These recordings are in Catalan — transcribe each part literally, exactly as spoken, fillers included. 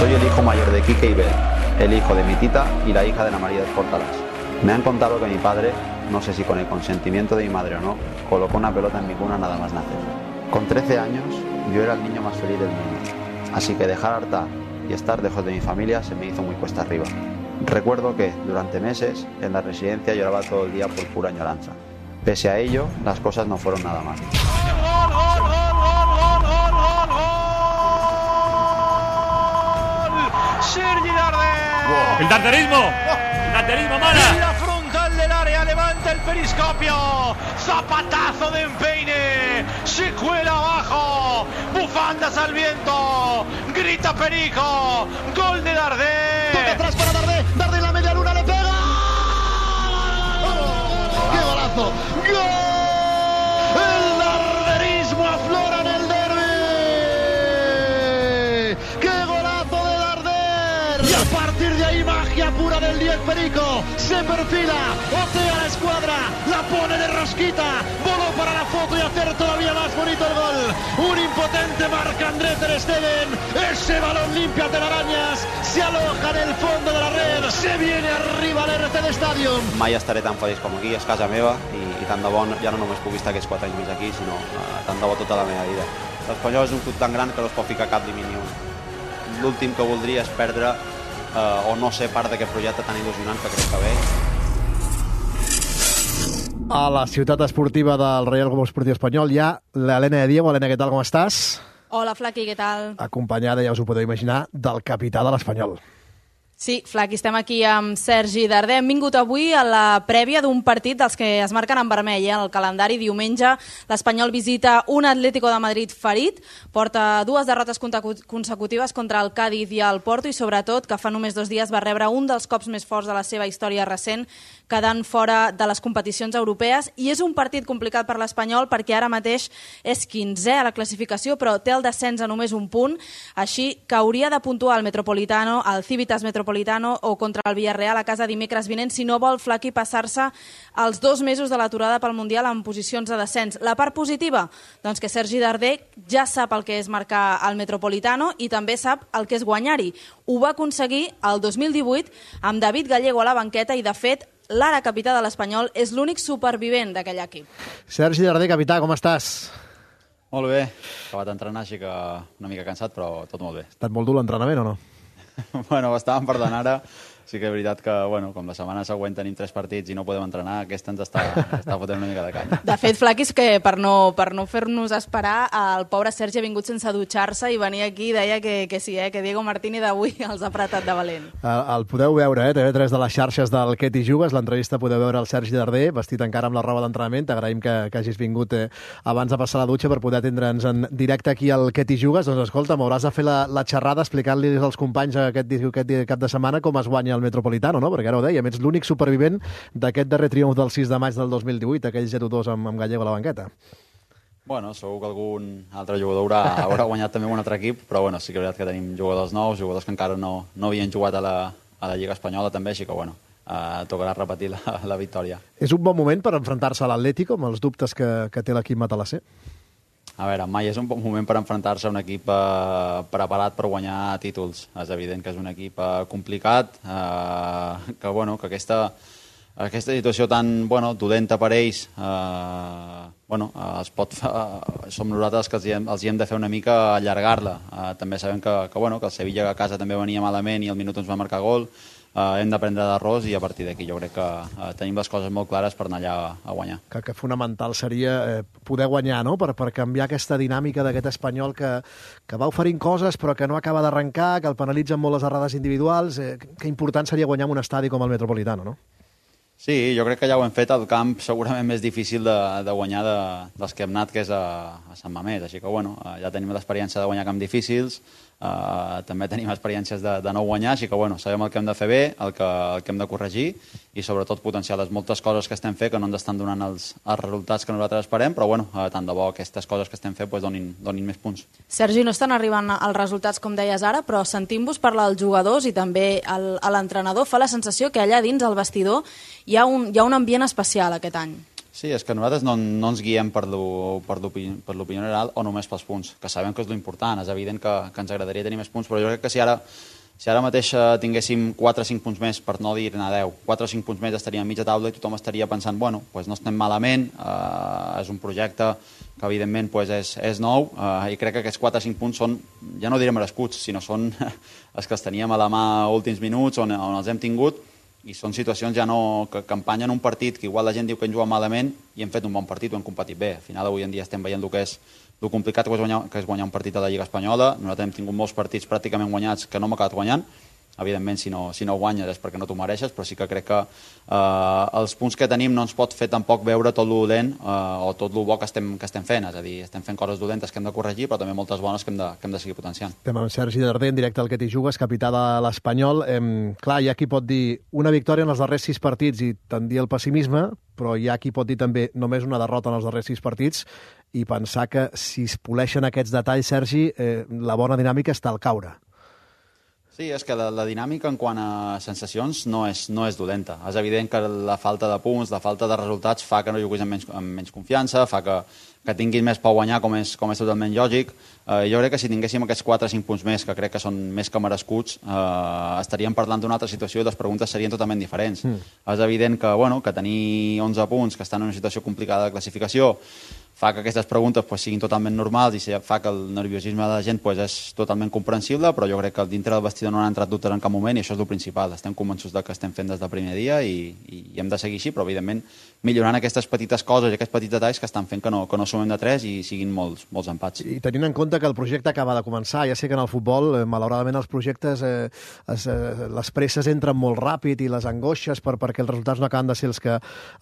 Soy el hijo mayor de Quique y Bel, el hijo de mi tita y la hija de Ana María de Portalas. Me han contado que mi padre, no sé si con el consentimiento de mi madre o no, colocó una pelota en mi cuna nada más nacer. Con trece años, yo era el niño más feliz del mundo, así que dejar Artà y estar lejos de mi familia se me hizo muy cuesta arriba. Recuerdo que, durante meses, en la residencia lloraba todo el día por pura añoranza. Pese a ello, las cosas no fueron nada mal. Sergi Darder. El darderismo. El darderismo, Mara. En la frontal del área levanta el periscopio. Zapatazo de empeine. Se cuela abajo. Bufandas al viento. Grita Perico. Gol de Darder. Toca atrás para Darder. Darder en la media luna le pega. ¡Qué golazo! ¡Gol! El darderismo aflora en el derbi. ¡Qué golazo de Darder! Y a partir de ahí magia pura del diez Perico. Se perfila, otea la escuadra, la pone de rosquita, voló para la foto y hacer todavía más bonito el gol. Un impotente Marc-André ter Stegen. Ese balón limpia telarañas, se aloja en el fondo de la red, se viene arriba al R C D Stadium. Mai estaré tan feliç com aquí, és casa meva, i, i tant de bo ja no només puc estar aquests quatre anys més aquí, sinó uh, tant de bo tota la meva vida. L'Espanyol és un club tan gran que no es pot ficar cap límit ni un. L'últim que voldria és perdre uh, o no ser part d'aquest projecte tan il·lusionant que crec que ve. A la ciutat esportiva del Reial Club Esportiu Espanyol hi ha l'Helena de Diego. Helena, què tal, com estàs? Hola, Flaqui, què tal? Acompanyada, ja us ho podeu imaginar, del capità de l'Espanyol. Sí, Flaqui, estem aquí amb Sergi Darder. Hem vingut avui a la prèvia d'un partit dels que es marquen en vermell. Eh? El calendari, diumenge, l'Espanyol visita un Atlético de Madrid ferit, porta dues derrotes consecutives contra el Cádiz i el Porto i, sobretot, que fa només dos dies va rebre un dels cops més forts de la seva història recent, quedant fora de les competicions europees. I és un partit complicat per l'Espanyol perquè ara mateix és quinzè a la classificació, però té el descens a només un punt, així que hauria de puntuar el Metropolitano, el Civitas Metropolitano o contra el Villarreal a casa dimecres vinent si no vol Flaqui passar-se els dos mesos de l'aturada pel Mundial en posicions de descens. La part positiva? Doncs que Sergi Darder ja sap el que és marcar el Metropolitano i també sap el que és guanyar-hi. Ho va aconseguir el dos mil divuit amb David Gallego a la banqueta i, de fet, l'ara capità de l'Espanyol és l'únic supervivent d'aquell equip. Sergi Darder, capità, com estàs? Molt bé, acabat d'entrenar, així que una mica cansat, però tot molt bé. Ha estat molt dur l'entrenament o no? Bueno, estàvem per d'anar ara. Sí que és veritat que, bueno, com la setmana següent tenim tres partits i no podem entrenar, aquesta ens està, està fotent una mica de canya. De fet, Flaqui, és que per no, per no fer-nos esperar, el pobre Sergi ha vingut sense dutxar-se i venia aquí i deia que, que sí, eh, que Diego Martínez d'avui els ha apretat de valent. El, el podeu veure, eh, T V tres de les xarxes del Què t'hi jugues, l'entrevista podeu veure el Sergi Darder, vestit encara amb la roba d'entrenament. T'agraïm que, que hagis vingut eh, abans de passar la dutxa per poder atendre'ns en directe aquí al Què t'hi jugues. Doncs escolta, m'hauràs de fer la, la xerrada explicant-li als companys aquest, aquest cap de setmana com es guanya el Metropolitano, no? Perquè ara ho dèiem, ets l'únic supervivent d'aquest darrer triomf del sis de maig del dos mil divuit, aquell zero dos amb, amb Gallego a la banqueta. Bueno, segur que algun altre jugador haurà, haurà guanyat també un altre equip, però bueno, sí que és veritat que tenim jugadors nous, jugadors que encara no, no havien jugat a la, a la Lliga Espanyola també, així que bueno, eh, tocarà repetir la, la victòria. És un bon moment per enfrontar-se a l'Atlético, amb els dubtes que, que té l'equip matalasser? A veure, mai és un bon moment per enfrontar-se a un equip eh, preparat per guanyar títols. És evident que és un equip eh, complicat, eh, que, bueno, que aquesta, aquesta situació tan bueno, dolenta per ells, eh, bueno, eh, es pot fer, eh, som nosaltres que els hi hem, els hi hem de fer una mica allargar-la. Eh, també sabem que, que, bueno, que el Sevilla a casa també venia malament i al minut ens va marcar gol. Uh, hem d'aprendre d'errors i a partir d'aquí jo crec que uh, tenim les coses molt clares per anar allà a, a guanyar. Que, que fonamental seria eh, poder guanyar, no? Per, per canviar aquesta dinàmica d'aquest Espanyol que, que va oferint coses però que no acaba d'arrencar, que el penalitzen molt les errades individuals. Eh, que important seria guanyar en un estadi com el Metropolitano, no? Sí, jo crec que ja ho hem fet al camp segurament més difícil de, de guanyar de, dels que hem anat, que és a, a Sant Mamés. Així que, bueno, ja tenim l'experiència de guanyar camps difícils, uh, també tenim experiències de, de no guanyar, així que, bueno, sabem el que hem de fer bé, el que, el que hem de corregir i, sobretot, potenciar les moltes coses que estem fent que no ens estan donant els, els resultats que nosaltres esperem, però, bueno, uh, tant de bo aquestes coses que estem fent pues, donin, donin més punts. Sergi, no estan arribant els resultats, com deies ara, però sentint-vos parlar als jugadors i també a l'entrenador, fa la sensació que allà dins, al vestidor, hi ha un, hi ha un ambient especial aquest any. Sí, és que nosaltres no, no ens guiem per l'opinió general o només pels punts, que sabem que és l'important. És evident que, que ens agradaria tenir més punts, però jo crec que si ara, si ara mateix tinguéssim quatre o cinc punts més, per no dir-ne deu, quatre o cinc punts més estaríem a mitja taula i tothom estaria pensant, bueno, pues no estem malament, eh, és un projecte que evidentment pues és, és nou, eh, i crec que aquests quatre o cinc punts són, ja no diré merescuts, sinó són els que els teníem a la mà últims minuts, on, on els hem tingut, i són situacions ja no que, que empanyen un partit que igual la gent diu que hem jugat malament i hem fet un bon partit, ho hem competit bé. Al final avui en dia estem veient el que és el complicat que és guanyar, que és guanyar un partit a la Lliga Espanyola. Nosaltres hem tingut molts partits pràcticament guanyats que no hem acabat guanyant. Evidentment, si no, si no guanyes és perquè no t'ho mereixes, però sí que crec que eh, els punts que tenim no ens pot fer tampoc veure tot lo dolent eh, o tot lo bo que estem, que estem fent. És a dir, estem fent coses dolentes que hem de corregir, però també moltes bones que hem de, que hem de seguir potenciant. Estem amb Sergi Darder, en directe al Que t'hi jugues, capità de l'Espanyol. Eh, clar, hi ha qui pot dir una victòria en els darrers sis partits i tendir el pessimisme, però hi ha qui pot dir també només una derrota en els darrers sis partits i pensar que si es poleixen aquests detalls, Sergi, eh, la bona dinàmica està al caure. Sí, és que la, la dinàmica en quant a sensacions no és, no és dolenta. És evident que la falta de punts, la falta de resultats fa que no juguis amb menys, amb menys confiança, fa que, que tinguis més per guanyar, com és, com és totalment lògic. Eh, jo crec que si tinguéssim aquests quatre o cinc punts més, que crec que són més que merescuts, eh, estaríem parlant d'una altra situació i les preguntes serien totalment diferents. Mm. És evident que, bueno, que tenir onze punts, que estan en una situació complicada de classificació, fa que aquestes preguntes pues, siguin totalment normals i fa que el nerviosisme de la gent pues, és totalment comprensible, però jo crec que dintre del vestidor no han entrat dubtes en cap moment i això és el principal. Estem convençuts de que estem fent des del primer dia i, i, i hem de seguir així, però evidentment millorant aquestes petites coses i aquests petits detalls que estan fent que no, que no sumem de tres i siguin molts, molts empats. I tenint en compte que el projecte acaba de començar, ja sé que en el futbol, eh, malauradament, els projectes, eh, es, eh, les presses entren molt ràpid i les angoixes per, perquè els resultats no acaben de ser els que,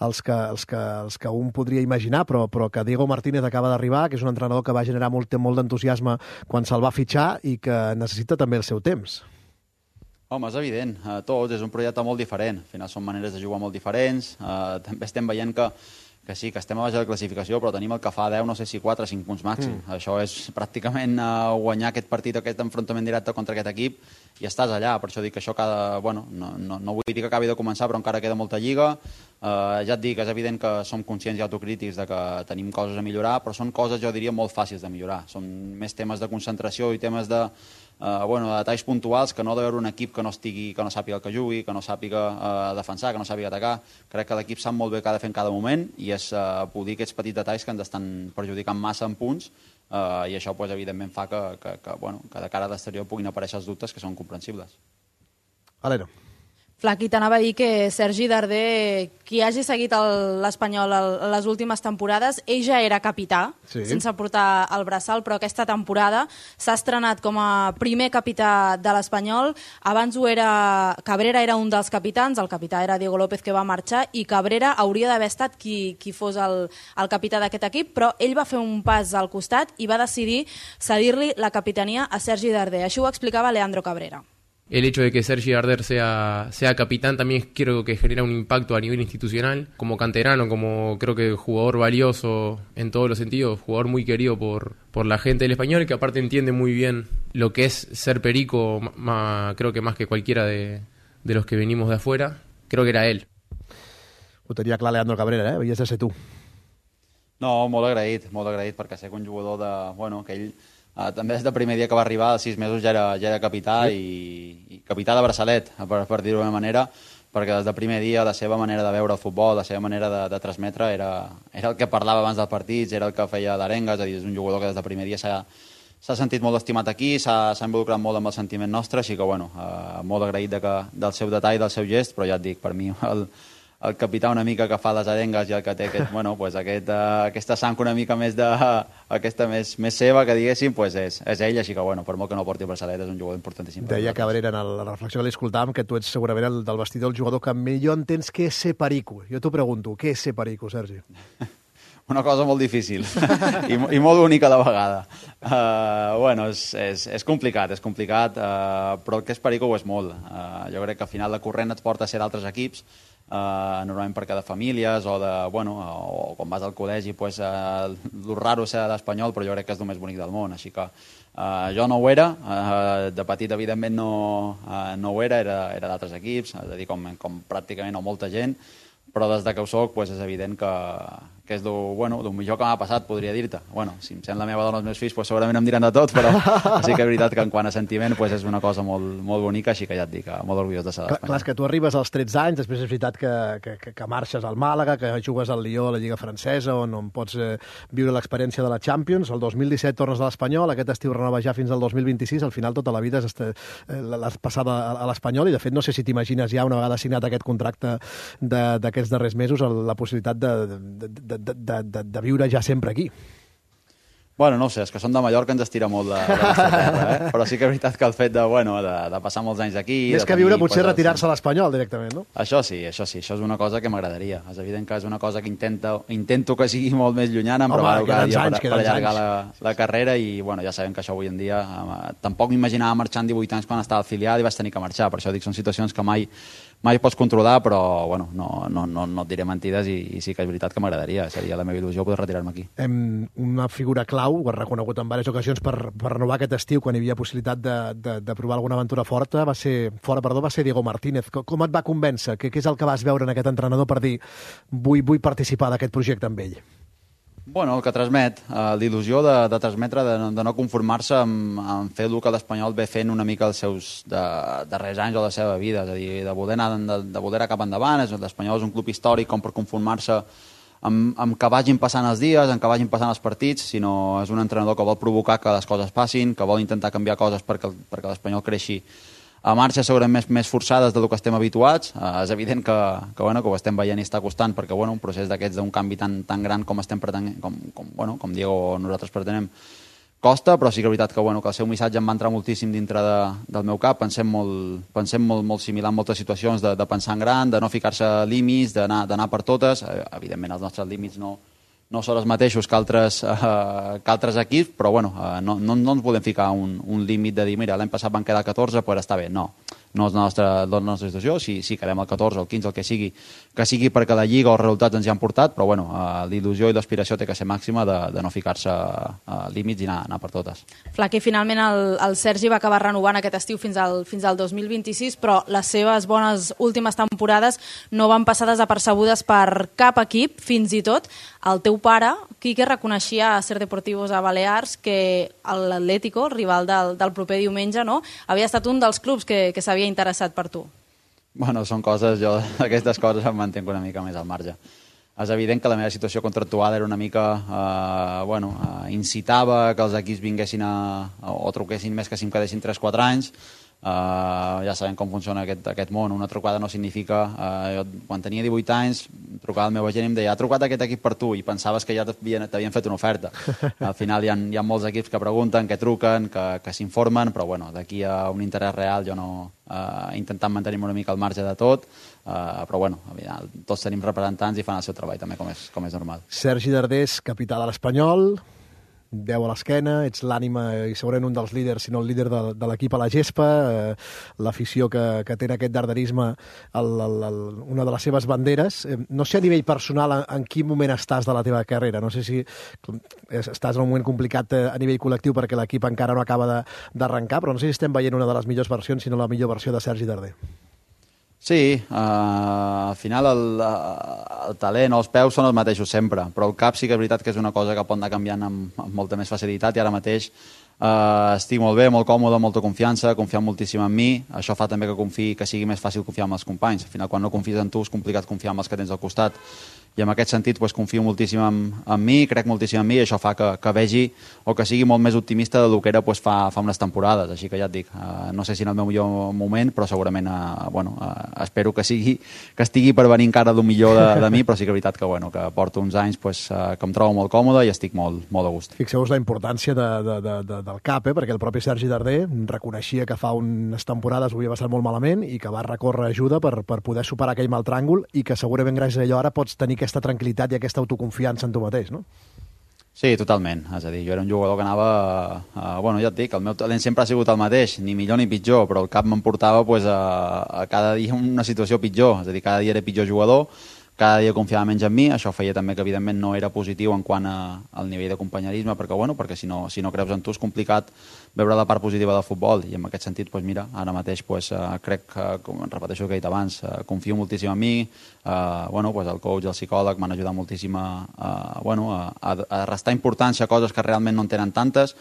els que, els que, els que un podria imaginar, però, però que Diego Martínez acaba d'arribar, que és un entrenador que va generar molt, molt d'entusiasme quan se'l va fitxar i que necessita també el seu temps. Home, és evident. Uh, tots, és un projecte molt diferent. Al final són maneres de jugar molt diferents. Uh, també estem veient que, que sí, que estem a baix de la classificació, però tenim el que fa deu, no sé si quatre o cinc punts màxim. Mm. Això és pràcticament uh, guanyar aquest partit, aquest enfrontament directe contra aquest equip i estàs allà. Per això dic que això cada... Bueno, no, no, no vull dir que acabi de començar, però encara queda molta lliga. Uh, ja et dic, és evident que som conscients i autocrítics de que tenim coses a millorar, però són coses, jo diria, molt fàcils de millorar. Són més temes de concentració i temes de... Uh, bueno, detalls puntuals que no ha d'haver un equip que no estigui, que no sàpiga el que jugui, que no sàpiga uh, defensar, que no sàpiga atacar. Crec que l'equip sap molt bé què ha de fer en cada moment i és uh, polir aquests petits detalls que ens estan perjudicant massa en punts uh, i això pues, evidentment fa que, que, que, bueno, que de cara a l'exterior puguin aparèixer els dubtes que són comprensibles. Alero. Flaqui, t'anava a dir que Sergi Darder, qui hagi seguit l'Espanyol les últimes temporades, ell ja era capità, sí, sense portar el braçal, però aquesta temporada s'ha estrenat com a primer capità de l'Espanyol. Abans ho era... Cabrera era un dels capitans, el capità era Diego López, que va marxar, i Cabrera hauria d'haver estat qui, qui fos el, el capità d'aquest equip, però ell va fer un pas al costat i va decidir cedir-li la capitania a Sergi Darder. Això ho explicava Leandro Cabrera. El hecho de que Sergi Darder sea, sea capitán también creo que genera un impacto a nivel institucional, como canterano, como creo que jugador valioso en todos los sentidos, jugador muy querido por, por la gente del Español, que aparte entiende muy bien lo que es ser perico, ma, creo que más que cualquiera de, de los que venimos de afuera, creo que era él. Ho tenia clar Leandro Cabrera, eh? Havies de ser tu. No, molt agraït, molt agraït, perquè sé que un jugador de... Bueno, que ell... Uh, també des del primer dia que va arribar, als sis mesos ja era, ja era capità, sí, i, i capità de braçalet, per, per dir-ho d'una manera, perquè des del primer dia la seva manera de veure el futbol, la seva manera de, de transmetre era, era el que parlava abans dels partits, era el que feia d'arenga, és a dir, és un jugador que des del primer dia s'ha sentit molt estimat aquí, s'ha involucrat molt amb el sentiment nostre, així que bueno, uh, molt agraït de que, del seu detall, del seu gest, però ja et dic, per mi el, el capità una mica que fa les arengues i el que té aquest, bueno, pues aquest, uh, aquesta sang una mica més de, aquesta més, més seva, que diguéssim, pues és, és ell, així que bueno, per molt que no porti el braçalet, és un jugador importantíssim. Deia Cabrera en la reflexió que li escoltàvem que tu ets segurament el del vestidor el jugador que millor entens què és ser perico. Jo t'ho pregunto, què és ser perico, Sergi? Una cosa molt difícil i, i molt única a la vegada. Uh, bueno, és, és, és complicat, és complicat, uh, però el que és perico ho és molt. Uh, jo crec que al final la corrent et porta a ser d'altres equips, Uh, normalment perquè de famílies o, de, bueno, o quan vas al col·legi pues, uh, el raro ser d'espanyol, però jo crec que és el més bonic del món, així que uh, jo no ho era, uh, de petit evidentment no, uh, no ho era, era, era d'altres equips, és a dir, com, com pràcticament o molta gent, però des de que ho soc pues, és evident que, que és el bueno, millor que m'ha passat, podria dir-te. Bueno, si em sent la meva dona els meus fills, pues, segurament em diran de tot, però sí que és veritat que en quant a sentiment pues, és una cosa molt, molt bonica, així que ja et dic, molt orgullós de ser d'Espanya. Clar, és que tu arribes als tretze anys, després és veritat que, que, que, que marxes al Màlaga, que jugues al Lió, a la Lliga Francesa, on, on pots eh, viure l'experiència de la Champions. El dos mil disset tornes a l'Espanyol, aquest estiu renova ja fins al dos mil vint-i-sis, al final tota la vida eh, l'has passada a l'Espanyol, i de fet no sé si t'imagines ja, una vegada signat aquest contracte d'aquests darrers mesos, la possibilitat de, de, de, de, de, de, de viure ja sempre aquí. Bueno, no ho sé, és que som de Mallorca, ens estira molt de, de la terra, eh? Però sí que és veritat que el fet de, bueno, de, de passar molts anys aquí... Més que viure, potser retirar-se a l'Espanyol directament, no? Això sí, això sí, això és una cosa que m'agradaria. És evident que és una cosa que intento, intento que sigui molt més llunyana, em preparo cada dia per, per allargar la, la carrera i, bueno, ja sabem que això avui en dia... Eh, tampoc m'imaginava marxar amb divuit anys quan estava al filial i vaig tenir que marxar, per això dic, són situacions que mai... mai pots controlar, però bueno, no, no, no, no et diré mentides i, i sí que és veritat que m'agradaria, seria la meva il·lusió poder retirar-me aquí. Hem, una figura clau, ho has reconegut en diverses ocasions per, per renovar aquest estiu, quan hi havia possibilitat de, de, de provar alguna aventura forta, va ser, fora, perdó, va ser Diego Martínez. Com, com et va convèncer? Què, què és el que vas veure en aquest entrenador per dir vull, vull participar d'aquest projecte amb ell? Bueno, el que transmet, eh, l'il·lusió de, de transmetre, de, de no conformar-se amb, amb fer el que l'Espanyol ve fent una mica els seus de, darrers anys o la seva vida, és a dir, de voler anar, de, de voler anar cap endavant. L'Espanyol és un club històric com per conformar-se amb, amb que vagin passant els dies, amb que vagin passant els partits, sinó és un entrenador que vol provocar que les coses passin, que vol intentar canviar coses perquè, perquè l'Espanyol creixi a marxes segurament més, més forçades del que estem habituats. Eh, és evident que, que, bueno, que ho estem veient i està costant, perquè bueno, un procés d'aquests d'un canvi tan, tan gran com estem pretenent, com, com, bueno, com Diego nosaltres pretenem, costa, però sí que és veritat que, bueno, que el seu missatge em va entrar moltíssim dintre de, del meu cap. Pensem molt, pensem molt, molt similar en moltes situacions, de, de pensar en gran, de no ficar-se límits, d'anar per totes. Eh, evidentment els nostres límits no, no són els mateixos que altres, eh, que altres equips, però bueno, eh, no, no, no ens volem ficar un, un límit de dir, mira, l'any passat van quedar catorze, pues està bé. No, no és la nostra, la nostra situació. Si, si quedem al catorze, al quinze, el que sigui, que sigui perquè la Lliga o els resultats ens hi han portat, però bueno, eh, l'il·lusió i l'aspiració té que ser màxima de, de no ficar-se eh, límits i anar, anar per totes. Flaque, finalment el, el Sergi va acabar renovant aquest estiu fins al, fins al dos mil vint-i-sis, però les seves bones últimes temporades no van passar desapercebudes per cap equip, fins i tot el teu pare, Quique, reconeixia a Ser Deportivos a Balears que l'Atlético, el rival del, del proper diumenge, no, havia estat un dels clubs que, que s'havia interessat per tu. Bueno, són coses, jo d'aquestes coses em mantenc una mica més al marge. És evident que la meva situació contractual era una mica, eh, bueno, eh, incitava que els equips vinguessin a, o truquessin més que si em quedessin tres quatre anys. Uh, ja sabem com funciona aquest, aquest món. Una trucada no significa... Uh, jo, quan tenia divuit anys, trucava el meu agent i em deia, ha trucat aquest equip per tu, i pensaves que ja t'havien fet una oferta. Al final hi ha, hi ha molts equips que pregunten, que truquen, que, que s'informen, però bueno, d'aquí a un interès real jo no... Uh, intentant mantenir-me una mica al marge de tot, uh, però bueno, tots tenim representants i fan el seu treball també, com és, com és normal. Sergi Dardés, capità de l'Espanyol, deu a l'esquena, ets l'ànima i segurament un dels líders, si no el líder de, de l'equip a la gespa, eh, l'afició que, que té aquest darderisme, el, el, el, una de les seves banderes. Eh, no sé a nivell personal en, en quin moment estàs de la teva carrera, no sé si estàs en un moment complicat a nivell col·lectiu perquè l'equip encara no acaba d'arrencar, però no sé si estem veient una de les millors versions, sinó la millor versió de Sergi Darder. Sí, uh, al final el, el talent o els peus són els mateixos sempre, però el cap sí que és veritat que és una cosa que pot anar canviant amb, amb molta més facilitat, i ara mateix uh, estic molt bé, molt còmode, molta confiança, confio moltíssim en mi. Això fa també que confiï, que sigui més fàcil confiar en els companys. Al final, quan no confies en tu, és complicat confiar en els que tens al costat, i en aquest sentit pues, confio moltíssim en, en mi, crec moltíssim en mi, i això fa que, que vegi o que sigui molt més optimista del que era pues, fa, fa unes temporades. Així que ja et dic, uh, no sé si en el meu millor moment, però segurament uh, bueno, uh, espero que, sigui, que estigui per venir encara del millor de, de mi, però sí que és veritat que, bueno, que porto uns anys pues, uh, que em trobo molt còmode i estic molt, molt a gust. Fixeu-vos la importància de, de, de, de, del cap, eh? Perquè el propi Sergi Darder reconeixia que fa unes temporades ho havia passat molt malament i que va recórrer ajuda per, per poder superar aquell mal tràngol, i que segurament gràcies a allò ara pots tenir aquesta tranquil·litat i aquesta autoconfiança en tu mateix, no? Sí, totalment. És a dir, jo era un jugador que anava... A, a, bueno, ja et dic, el meu talent sempre ha sigut el mateix, ni millor ni pitjor, però el cap m'emportava pues, a, a cada dia una situació pitjor. És a dir, cada dia era pitjor jugador, cada dia confiava menys en mi, això feia també que evidentment no era positiu en quant a, al nivell de companyerisme, perquè, bueno, perquè si no, si no creus en tu és complicat veure la part positiva del futbol, i en aquest sentit, pues, mira, ara mateix pues, uh, crec que, com repeteixo el que he dit abans, uh, confio moltíssim en mi, uh, bueno, pues, el coach, el psicòleg m'han ajudat moltíssim a, a, bueno, a, a restar importància a coses que realment no en tenen tantes.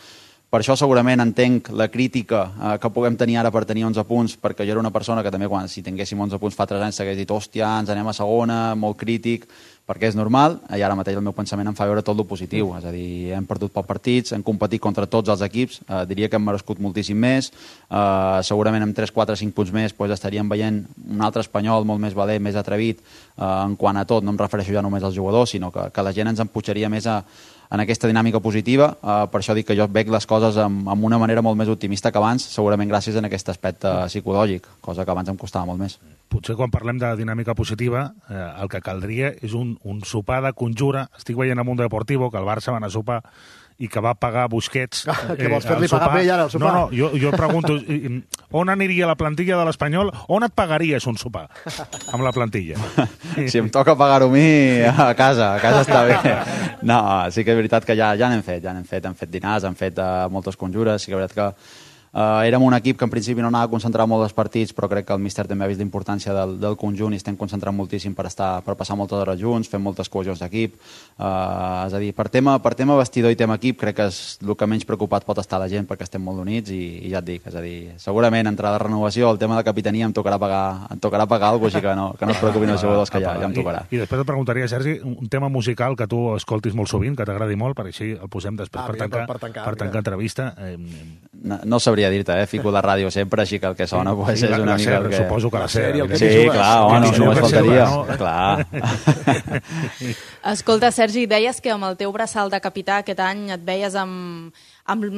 Per això segurament entenc la crítica eh, que puguem tenir ara per tenir onze punts, perquè jo era una persona que també, quan si tinguéssim onze punts fa tres anys, s'hagués dit, hòstia, ens anem a segona, molt crític, perquè és normal, i ara mateix el meu pensament em fa veure tot el positiu, és a dir, hem perdut pocs partits, hem competit contra tots els equips, eh, diria que hem merescut moltíssim més, eh, segurament amb tres, quatre, cinc punts més pues, estaríem veient un altre Espanyol molt més valent, més atrevit, eh, en quant a tot, no em refereixo ja només als jugadors, sinó que, que la gent ens empujaria més a en aquesta dinàmica positiva, uh, per això dic que jo veig les coses amb, amb una manera molt més optimista que abans, segurament gràcies a aquest aspecte psicològic, cosa que abans em costava molt més. Potser quan parlem de dinàmica positiva, eh, el que caldria és un, un sopar de conjura. Estic veient a Mundo Deportivo que el Barça va anar a sopar i que va pagar Busquets... Eh, que vols fer-li pagar per ell ara el sopar? No, no, jo, jo pregunto, on aniria la plantilla de l'Espanyol? On et pagaries un sopar amb la plantilla? Si em toca pagar-ho a mi, a casa, a casa està bé. No, sí que és veritat que ja, ja n'hem fet, ja n'hem fet, hem fet dinars, hem fet uh, moltes conjures, sí que és veritat que Uh, érem un equip que en principi no anava a concentrar molt els partits, però crec que el míster també ha vist l'importància del, del conjunt i estem concentrant moltíssim per, estar, per passar moltes hores junts, fem moltes cohesions d'equip. Uh, és a dir, per tema, per tema vestidor i tema equip, crec que és el que menys preocupat pot estar la gent perquè estem molt units i, i ja et dic, és a dir, segurament entre la renovació, el tema de capitania em tocarà pagar, em tocarà pagar alguna cosa, així que no, que no es preocupin els jugadors, que ja, ja em tocarà. I, I després et preguntaria, Sergi, un tema musical que tu escoltis molt sovint, que t'agradi molt, per així el posem després ah, per, tancar, per, per tancar, per tancar entrevista. Eh, no, no sabria dir-te, eh? Fico la ràdio sempre, així que el que sona sí, pues, sí, és una la mica... Ser, que... Suposo que la ser. Sí, clar, home, no, només faltaria. No? Clar. Escolta, Sergi, deies que amb el teu braçal de capità aquest any et veies amb... amb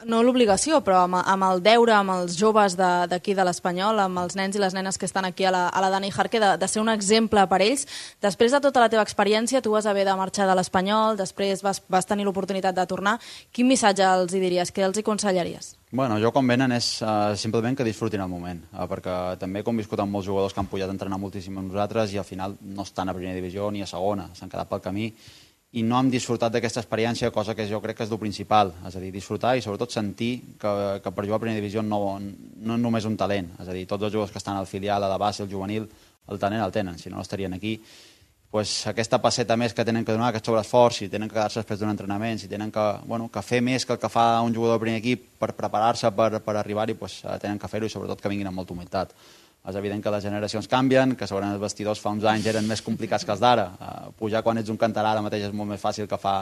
no l'obligació, però amb, amb el deure, amb els joves d'aquí de, de l'Espanyol, amb els nens i les nenes que estan aquí a la, a la Dani Jarque, de, de ser un exemple per ells. Després de tota la teva experiència, tu vas haver de marxar de l'Espanyol, després vas, vas tenir l'oportunitat de tornar. Quin missatge els hi diries? Què els hi aconsellaries? Bueno, jo quan venen és uh, simplement que disfrutin el moment, uh, perquè també he conviscut amb molts jugadors que han pujat a entrenar moltíssim amb nosaltres i al final no estan a primera divisió ni a segona, s'han quedat pel camí i no hem disfrutat d'aquesta experiència, cosa que jo crec que és el principal, és a dir, disfrutar i sobretot sentir que, que per jugar a primera divisió no, no és només un talent, és a dir, tots els jugadors que estan al filial, a la base, al juvenil, el talent el tenen, si no no estarien aquí. Pues aquesta passeta més que tenen que donar, aquest sobreesforç, si tenen que quedar-se després d'un entrenament, si tenen que, bueno, que fer més que el que fa un jugador del primer equip per preparar-se per, per arribar-hi, pues, tenen que fer-ho i sobretot que vinguin amb molta humilitat. És evident que les generacions canvien, que segurament els vestidors fa uns anys eren més complicats que els d'ara. Uh, pujar quan ets un canterà ara mateix és molt més fàcil que fa,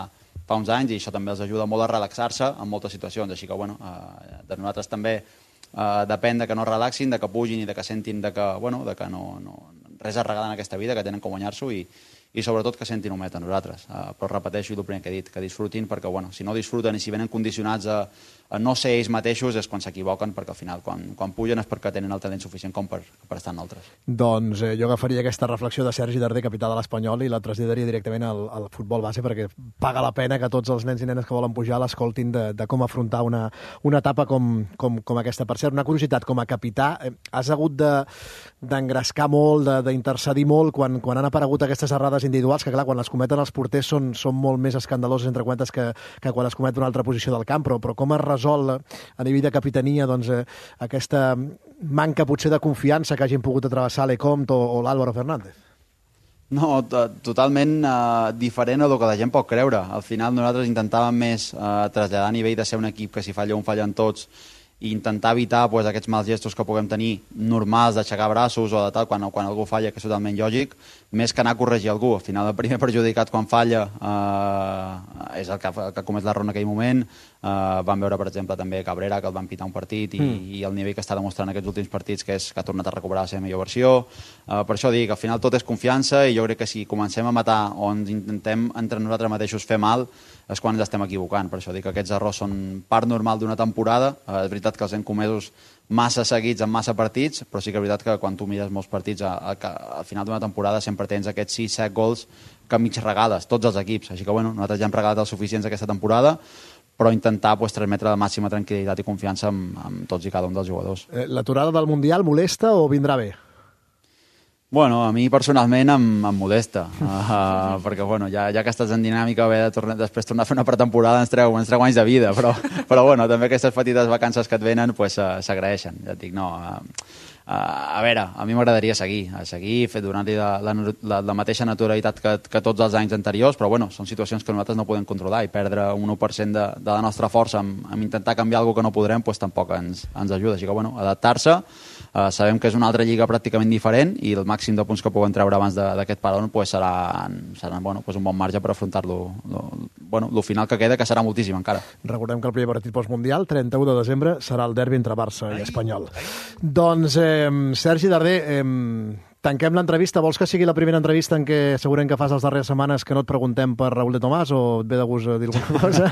fa uns anys i això també els ajuda molt a relaxar-se en moltes situacions. Així que, bueno, uh, de nosaltres també uh, depèn de que no relaxin, de que pugin i de que sentin de que, bueno, de que no, no, res es regala en aquesta vida, que tenen com guanyar-s'ho i, i sobretot que sentin humet a nosaltres. Uh, però repeteixo el primer que he dit, que disfrutin, perquè bueno, si no disfruten i si venen condicionats a, a no ser ells mateixos és quan s'equivoquen, perquè al final quan, quan pugen és perquè tenen el talent suficient com per, per estar en altres. Doncs eh, jo agafaria aquesta reflexió de Sergi Darder, capità de l'Espanyol, i la traslladaria directament al, al futbol base, perquè paga la pena que tots els nens i nenes que volen pujar l'escoltin de, de com afrontar una, una etapa com, com, com aquesta. Per cert, una curiositat, com a capità, eh, has hagut d'engrescar de, molt, d'intercedir molt quan, quan han aparegut aquestes errades individuals, que clar, quan les cometen els porters són, són molt més escandaloses entre quantes que, que quan es comet una altra posició del camp, però, però com es resol a nivell de capitania doncs, eh, aquesta manca potser de confiança que hagin pogut atravessar l'Ecomte o, o l'Álvaro Fernández? No, totalment uh, diferent a el que la gent pot creure. Al final nosaltres intentàvem més uh, traslladar a nivell de ser un equip que si falla un fallen tots i intentar evitar pues, aquests mals gestos que puguem tenir normals d'aixecar braços o de tal quan, quan algú falla, que és totalment lògic, més que anar a corregir algú. Al final el primer perjudicat quan falla eh, és el que, que comès l'error en aquell moment. Eh, vam veure, per exemple, també Cabrera, que el van pitar un partit i, mm. i el nivell que està demostrant aquests últims partits, que és que ha tornat a recuperar la seva millor versió. Eh, per això dic, al final tot és confiança i jo crec que si comencem a matar o ens intentem entre nosaltres mateixos fer mal, és quan ens estem equivocant. Per això dic que aquests errors són part normal d'una temporada. Eh, és veritat que els hem comesos massa seguits en massa partits, però sí que és veritat que quan tu mires molts partits a, a, a, al final d'una temporada sempre tens aquests sis set gols que mig regales, tots els equips. Així que bueno, nosaltres ja hem regalat els suficients aquesta temporada, però intentar pues, transmetre la màxima tranquil·litat i confiança amb, amb tots i cada un dels jugadors. Eh, L'aturada del Mundial molesta o vindrà bé? Bueno, a mi personalment em, em modesta, uh, perquè bueno, ja, ja que estàs en dinàmica, haver de tornar, després tornar a fer una pretemporada ens treu, ens treu anys de vida, però, però bueno, també aquestes petites vacances que et venen pues, uh, s'agraeixen, ja et dic, no... Uh, Uh, a veure, a mi m'agradaria seguir, a seguir, fer donar-li la, la, la, la mateixa naturalitat que, que tots els anys anteriors, però bueno, són situacions que nosaltres no podem controlar i perdre un u per cent de, de la nostra força amb, amb intentar canviar alguna que no podrem, pues, tampoc ens, ens ajuda. Així que, bueno, adaptar-se, uh, sabem que és una altra lliga pràcticament diferent i el màxim de punts que puguem treure abans d'aquest parón pues, serà, serà bueno, pues, un bon marge per afrontar-lo, lo, bueno, lo final que queda, que serà moltíssim encara. Recordem que el primer partit postmundial, trenta-u de desembre, serà el derbi entre Barça i Espanyol. Doncs... Eh, Sergi Darder, eh, tanquem l'entrevista. Vols que sigui la primera entrevista en què segurament que fas les darreres setmanes que no et preguntem per Raúl de Tomàs o et ve de gust dir alguna cosa?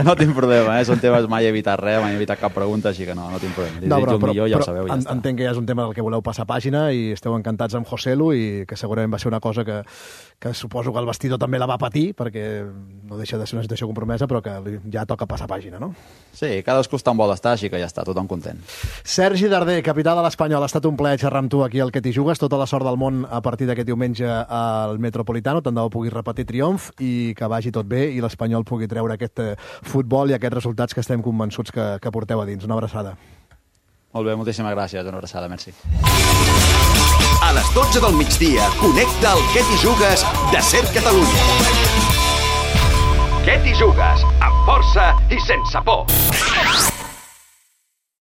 No tinc problema, eh? Són temes, mai he evitat res, mai he evitat cap pregunta, així que no, no tinc problema. Li no, però, el millor, ja ho sabeu, ja en, està. Entenc que ja és un tema del que voleu passar pàgina i esteu encantats amb Joselu i que segurament va ser una cosa que, que suposo que el vestidor també la va patir perquè no deixa de ser una situació compromesa però que ja toca passar pàgina, no? Sí, cadascú està on vol estar, així que ja està, tothom content. Sergi Darder, capità de l'Espanyol, ha estat un plaer xerrar amb tu aquí al Que t'hi jugues. Tota la sort del món a partir d'aquest diumenge al Metropolitano. Tant de bo puguis repetir triomf i que vagi tot bé i l'Espanyol pugui treure aquest futbol i aquests resultats que estem convençuts que, que porteu a dins. Una abraçada. Molt bé, moltíssimes gràcies. Una abraçada, merci. A les dotze del migdia, connecta el Que t'hi jugues de Ser Catalunya. Que t'hi jugues, amb força i sense por.